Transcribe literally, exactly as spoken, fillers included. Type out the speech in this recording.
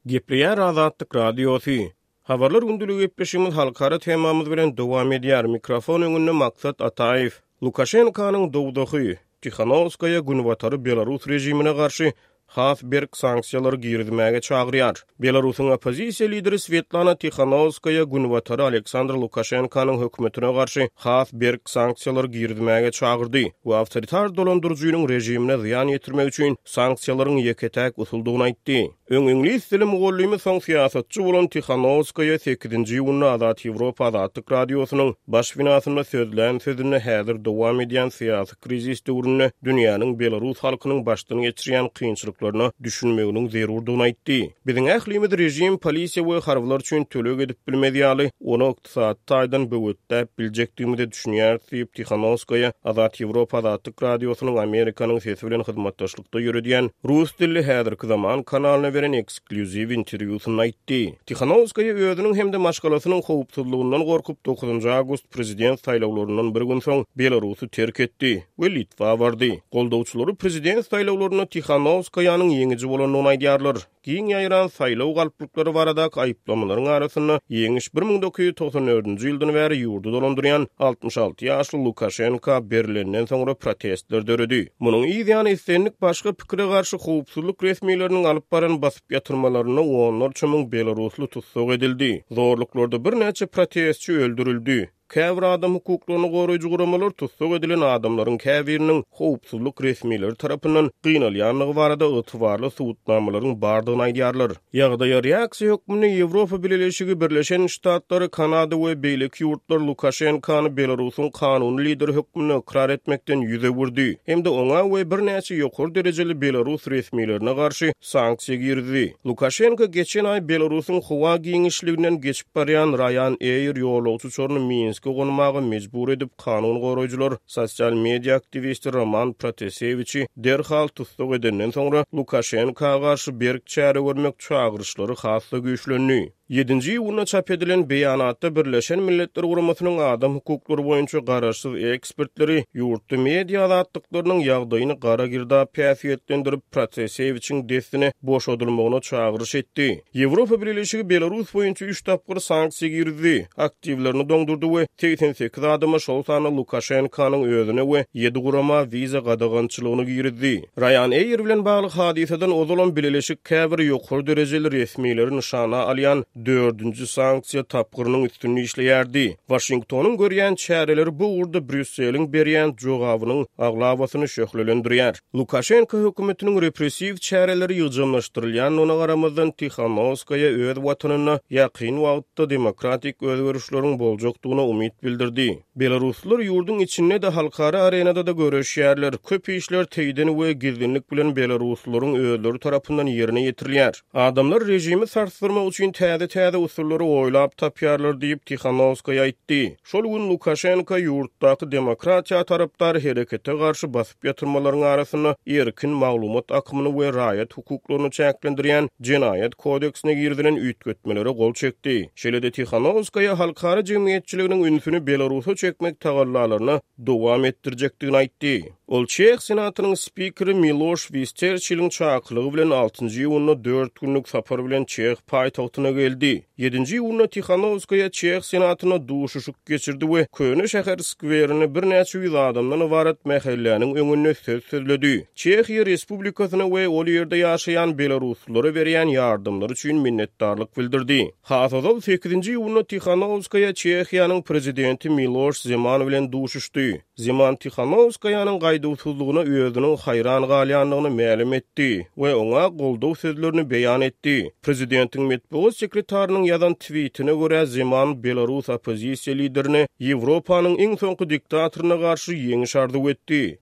Gepleýär Azatlyk Radiosy. Habarlar gündeligi gepleşigimiz halkara temamyz bilen dowam edýär. Mikrofon öňünde Maksat Ataýew. Lukaşenkanyň dowzahy, Tihanowskaýa Günbatary Belarus režimine garşy has berk sanksiýalary girizmäge çagyrýar. Belarusyň oppozisiýa lideri Svetlana Tihanowskaýa Günbatary Aleksandr Lukaşenkanyň hökümetine garşy has berk sanksiýalary girizmäge çagyrdy we awtoritar dolandyryjynyň režimine zyýan ýetirmek üçin sanksiýalaryň ýeke-täk usuldygyny aýtdy. Öň iňlis dili mugallymy, soň syýasatçy bolan Tihanowskaýa sekizinji iýunda Azat Ýewropa Azatlyk Radiosynyň baş binasynda sözlän sözünde häzir dowam edýän syýasy krizis döwründe dünýäniň belarus halkynyň başdan geçirýän kynçylyklaryna düşünmeginiň zerurdygyny aýtdy. Biziň ählimiz režim, polisiýa we harbylar üçin töleg edip bilmez ýaly, ony ykdysady taýdan böwetläp biljekdigimize düşünýäris diýip, Tihanowskaýa Azat Ýewropa Azatlyk Radiosynyň Amerikanyň sesi bilen hyzmatdaşlykda ýöredýän rus dilli Häzirki zaman kanalyna beren eksklýuziw interwýusynda aýtdy. Tihanowskaýa özüniň hem-de maşgalasynyň howpsuzlygyndan gorkup, dokuzynjy awgust prezident saýlawlaryndan bir gün soň Belarusy terk etdi we Litwa bardy. Goldawçylary prezident saýlawlarynda Tihanowskaýanyň ýeňiji bolandygyny aýdýarlar. Giň ýaýran saýlaw galplyklary baradaky aýyplamalaryň arasynda ýeňiş bir müň dokuz ýüz togsan dördünji ýyldan bäri ýurdy dolandyrýan altmyş alty ýaşly Lukaşenka berilenden soňra protestler döredi. Munuň yz ýany islendik başga pikire garşy howpsuzlyk resmileriniň alyp baran basyp ýatyrmalarynda onlarça müň belarusly tussag edildi. Zorluklarda birnäçe protestçi öldürildi. Käbir adam hukuklaryny goraýjy guramalar tussag edilen adamlaryň käbiriniň howpsuzlyk resmileri tarapyndan gynalýandygy barada ygtybarly subutnamalaryň bardygyny aýdýarlar. Ýagdaýa reaksiýa hökmünde Ýewropa Bileleşigi, Birleşen Ştatlary, Kanada we beýleki ýurtlar Lukaşenkany Belarusyň kanuny lideri hökmünde ykrar etmekden ýüz öwürdi hem-de oňa we birnäçe ýokary derejeli belarus resmilerine garşy sanksiýa girizdi. Lukaşenko geçen aý Belarusyň howa giňişliginden geçip barýan Ryanair ýolagçy uçaryny Minske gonmaga mejbur edip, kanun goraýjylar sosial media aktiwisti Roman Protasewiçi derhal tussag edenden soňra Lukaşenka garşy berk çäre görmek çagyryşlary has-da güýçlendi. Ýedinji iýunda çap edilen beýanatda Birleşen Milletler Guramasynyň adam hukuklary boýunça garaşsyz ekspertleri ýurtda media azatlyklarynyň ýagdaýyny gara girdap häsiýetlendirip, Protasewiçiň dessine boşadylmagyna çagyryş etdi. Ýewropa Bileleşigi Belarus boýunça üç tapgyr sanksiýa girizdi, aktiwlerini doňdurdy we segsen sekiz adama, şol sanda Lukaşenkanyň özüne we ýedi gurama wiza gadagançylygyny girizdi. Ryanair bilen bagly hadysadan ozalam bileleşik käbir ýokary derejeli resmileri nyşana alýan dördünji sanksiýa tapgyrynyň üstünde işleýärdi. Waşingtonyň görýän çäreleri bu ugurda Brýusseliň berýän jogabynyň aglabasyny şöhlelendirýär. Lukaşenko hökümetiniň repressiw çäreleri ýygjamlaşdyrylýandygyna garamazdan, Tihanowskaýa öz watanynda ýakyn wagtda demokratik özgerişleriň boljakdygyna umyt bildirdi. Belaruslylar ýurduň içinde-de, halkara arenada-da göreşýärler. Köp işler teýden we gizlinlik bilen belaruslylaryň özleri tarapyndan ýerine ýetirilýär. Adamlar režimi sarsdyrmak üçin täze-täze usullary oýlap tapýarlar diýip, Tihanowskaýa aýtdy. Şol gün Lukaşenko ýurtdaky demokratiýa tarapdar herekete garşy basyp ýatyrmalaryň arasynda erkin maglumat akymyny we raýat hukuklaryny çäklendirýän jenaýat kodeksine girizilen üýtgetmelere gol çekdi. Şeýle-de Tihanowskaýa halkara jemgyýetçiliginiň ünsüni Belarusa çekmek tagallalaryna dowam etdirjekdigini aýtdy. Ol Çeh senatynyň spikeri Miloş Wisterçiliň çakylygy bilen altynjy iýunda dört günlük sapar bilen Çeh paýtagtyna geldi. Ýedinji iýunda Tihanowskaýa Çeh senatynda duşuşyk geçirdi we Köne şäher skwerinde birnäçe ýüz adamdan ybarat mähelläniň öňünde söz sözledi. Çehiýa Respublikasyna we ol ýerde ýaşaýan belaruslylara berýän ýardamlary üçin minnetdarlyk bildirdi. Has ozal sekizinji iýunda Tihanowskaýa Çehiýanyň prezidenti Miloş Zeman bilen duşuşdy. Zeman Tihanowskaýanyň gaýduwsyzlygyna özüniň haýran galýandygyny mälim etdi we oňa goldaw sözlerini beýan etdi. Prezidentiň metbugat sekretarynyň ýazan twitine görä, Zeman belarus oppozisiýa liderine Ýewropanyň iň soňky diktatoryna garşy ýeňiş arzuw etdi.